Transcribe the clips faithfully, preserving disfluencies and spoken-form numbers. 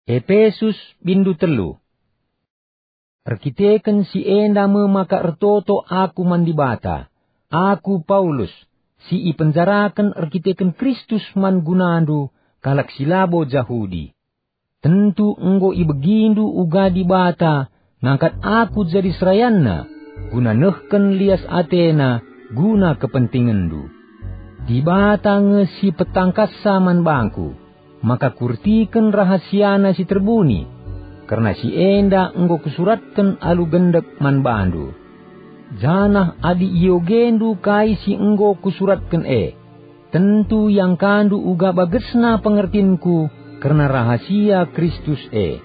Epesus, bindu telu. Erkiteken si enda me maka ertoto aku man Dibata, aku Paulus, si ipenjaraken erkiteken Kristus man gunandu, kalak si labo Jahudi. Tentu enggo ibegindu uga Dibata ngangkat aku jadi serayanNa, guna nehken lias ateNa guna kepentingenndu. Dibata nge si petangkassa man bangku, maka kurtiken rahasiana si terbuni, kerna si enda enggo kusuratken alu gendek man bandu. Janah adi iogendu kai si enggo kusuratken e, tentu iangkandu uga bagesna pengertinku kerna rahasia Kristus e.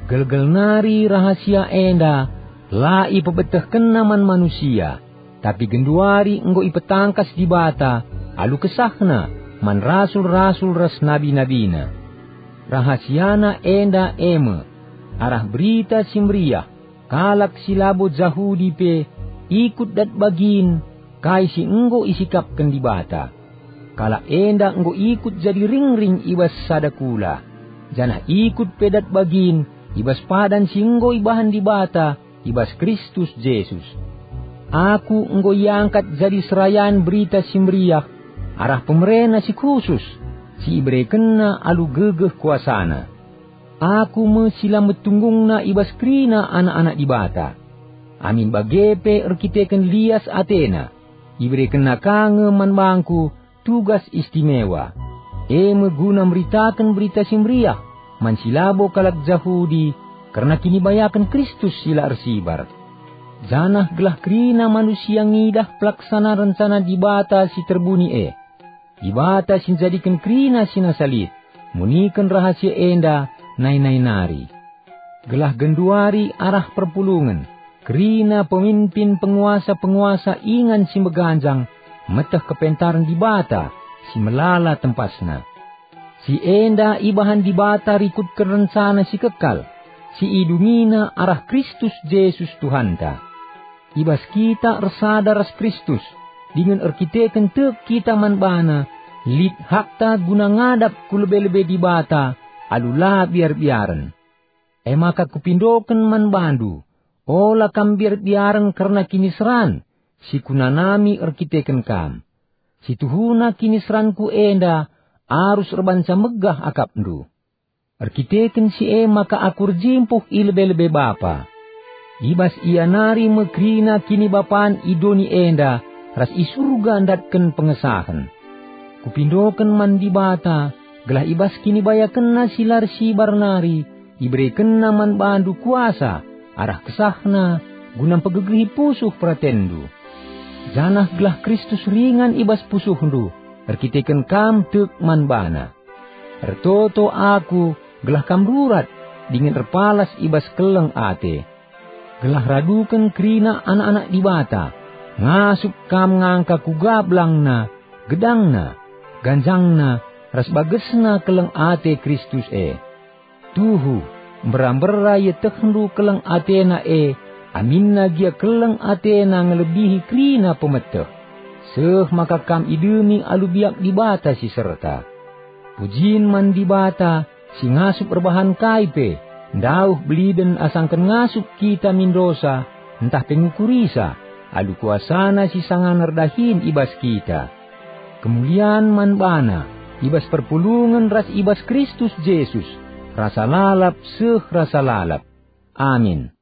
Gelgel nari rahasia enda la ipebetehkenNa man manusia, tapi genduari enggo ipetangkas Dibata alu kesahNa man rasul-rasul ras nabi-nabiNa. RahasiaNa enda e me: arah Berita Si Meriah, kalak si labo Jahudi pe ikut dat bagin kai si enggo isikapken Dibata. Kalak enda enggo ikut jadi ringring i bas sada kula, janah ikut pe dat bagin i bas padan si enggo ibahan Dibata i bas Kristus Jesus. Aku enggo iangkat jadi serayan Berita Si Meriah arah pemereNa si khusus, si iberekenNa alu gegeh kuasaNa. Aku me si la metunggungna i bas kerina anak-anak Dibata. Amin bage pe erkiteken lias ateNa, iberekenNa ka nge man bangku tugas istimewa, e me guna meritaken Berita Si Meriah man si labo kalak Jahudi kerna kinibayaken Kristus si la ersibar. Janah gelah kerina manusia ngidah pelaksana rencana Dibata si terbuni e. Dibata si njadiken kerina si nasa lit, muniken rahasia enda nai-nai nari. Gelah genduari arah perpulungen, kerina pemimpin penguasa-penguasa ingan si meganjang meteh kepentaren Dibata si melala tempasna. Si enda ibahan Dibata rikutken rencana si kekal, si idungiNa arah Kristus Jesus Tuhanta. I bas kita ersada ras Kristus, dingen erkiteken tek kita man baNa, lit hakta guna ngadap ku lebe-lebe Dibata alu la biar-biaren. E maka kupindoken man bandu, ola kam biar-biaren kerna kiniseran si kunanami erkiteken kam. Si tuhuna kiniseranku enda arus erbahanca megah akapndu. Erkiteken si e maka aku erjimpuh i lebe-lebe Bapa. I bas Ia nari me kerina kinibapan i doni enda ras i Surga ndatken pengesahen. Kupindoken man Dibata, gelah i bas kinibayakenNa si la ersibar nari, iberekenNa man bandu kuasa arah kesahNa guna mpegegehi pusuh peratenndu. Janah gelah Kristus ringan i bas pusuhndu, erkiteken kam tek man baNa. Ertoto aku gelah kam rurat dingen erpalas i bas keleng ate. Gelah raduken kerina anak-anak Dibata, ngasup kam ngangka kuga belangna, gedangna, ganjangna, ras bagesna keleng ate Kristus e. Tuhu, mbera-mbera ietehndu keleng atena e, aminna gia keleng atena ngelebihi kerina pemeteh. Seh maka kam idemi alu biak Dibata si serta. Pujin man Dibata, si ngasup erbahan kai pe, ndauh beliden asangken ngasup kita min dosa, ntah pe ngukurisa, alu kuasaNa si sangana erdahin i bas kita. Kemulian man baNa, i bas perpulungen ras i bas Kristus Jesus, rasa lalap seh rasa lalap. Amin.